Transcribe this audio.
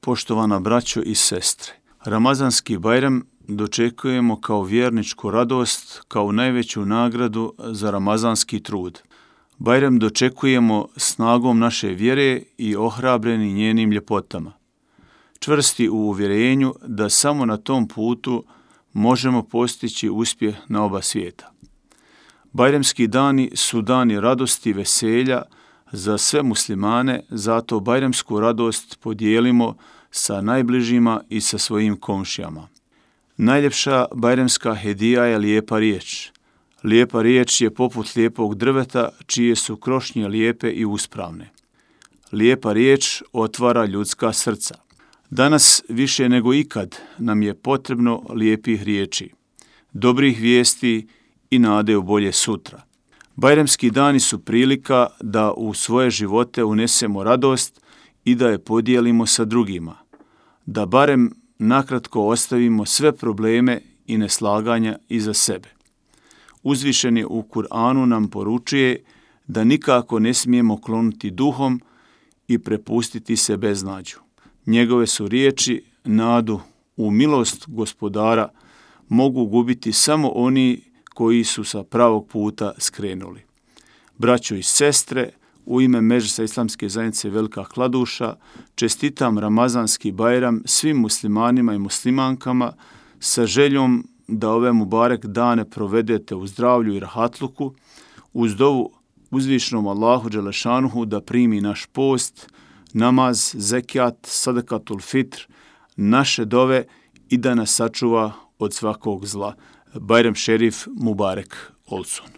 Poštovana braćo i sestre, Ramazanski Bajram dočekujemo kao vjerničku radost, kao najveću nagradu za ramazanski trud. Bajram dočekujemo snagom naše vjere i ohrabreni njenim ljepotama. Čvrsti u uvjerenju da samo na tom putu možemo postići uspjeh na oba svijeta. Bajramski dani su dani radosti i veselja za sve muslimane, zato bajramsku radost podijelimo sa najbližima i sa svojim komšijama. Najljepša bajramska hedija je lijepa riječ. Lijepa riječ je poput lijepog drveta čije su krošnje lijepe i uspravne. Lijepa riječ otvara ljudska srca. Danas više nego ikad nam je potrebno lijepih riječi, dobrih vijesti i nade u bolje sutra. Bajramski dani su prilika da u svoje živote unesemo radost i da je podijelimo sa drugima, da barem nakratko ostavimo sve probleme i neslaganja iza sebe. Uzvišeni u Kur'anu nam poručuje da nikako ne smijemo klonuti duhom i prepustiti se beznađu. Njegove su riječi nadu u milost Gospodara mogu gubiti samo oni koji su sa pravog puta skrenuli. Braćo i sestre, u ime Medžlisa Islamske zajednice Velika Kladuša čestitam Ramazanski Bajram svim muslimanima i muslimankama sa željom da ove mubarek dane provedete u zdravlju i rahatluku, uz dovu uzvišenom Allahu Đelešanuhu da primi naš post, namaz, zekijat, sadakatul fitr, naše dove i da nas sačuva od svakog zla. Bajram šerif mubarek olsun.